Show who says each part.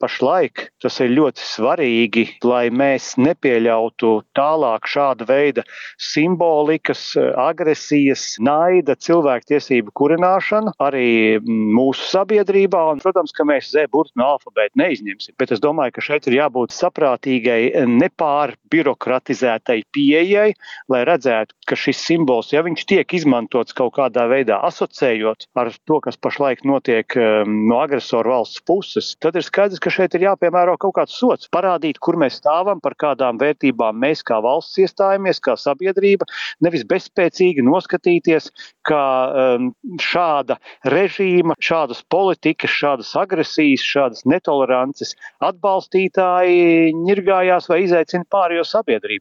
Speaker 1: pašlaik tas ir ļoti svarīgi, lai mēs nepieļautu tālāk šāda veida simbolikas, agresijas, naida, cilvēktiesību kurināšanu arī mūsu sabiedrībā. Un, protams, ka mēs Z-burtu no alfabēta neizņemsim, bet es domāju, ka šeit ir jābūt saprātīgai, nepārbirokratizētai pieejai, lai redzētu, ka šis simbols, ja viņš tiek izmantots kaut kādā veidā asociējot ar to, kas pašlaik notiek no agresoru valsts puses, tad ir skaidrs, ka šeit ir jāpiemēro kaut kāds sots, parādīt, kur mēs stāvam, par kādām vērtībām mēs kā valsts iestājamies, kā sabiedrība, nevis bezspēcīgi noskatīties, ka šāda režīma, šādas politikas, šādas agresijas, šādas netolerances atbalstītāji ņirgājās vai izaicina pārējo sabiedrību.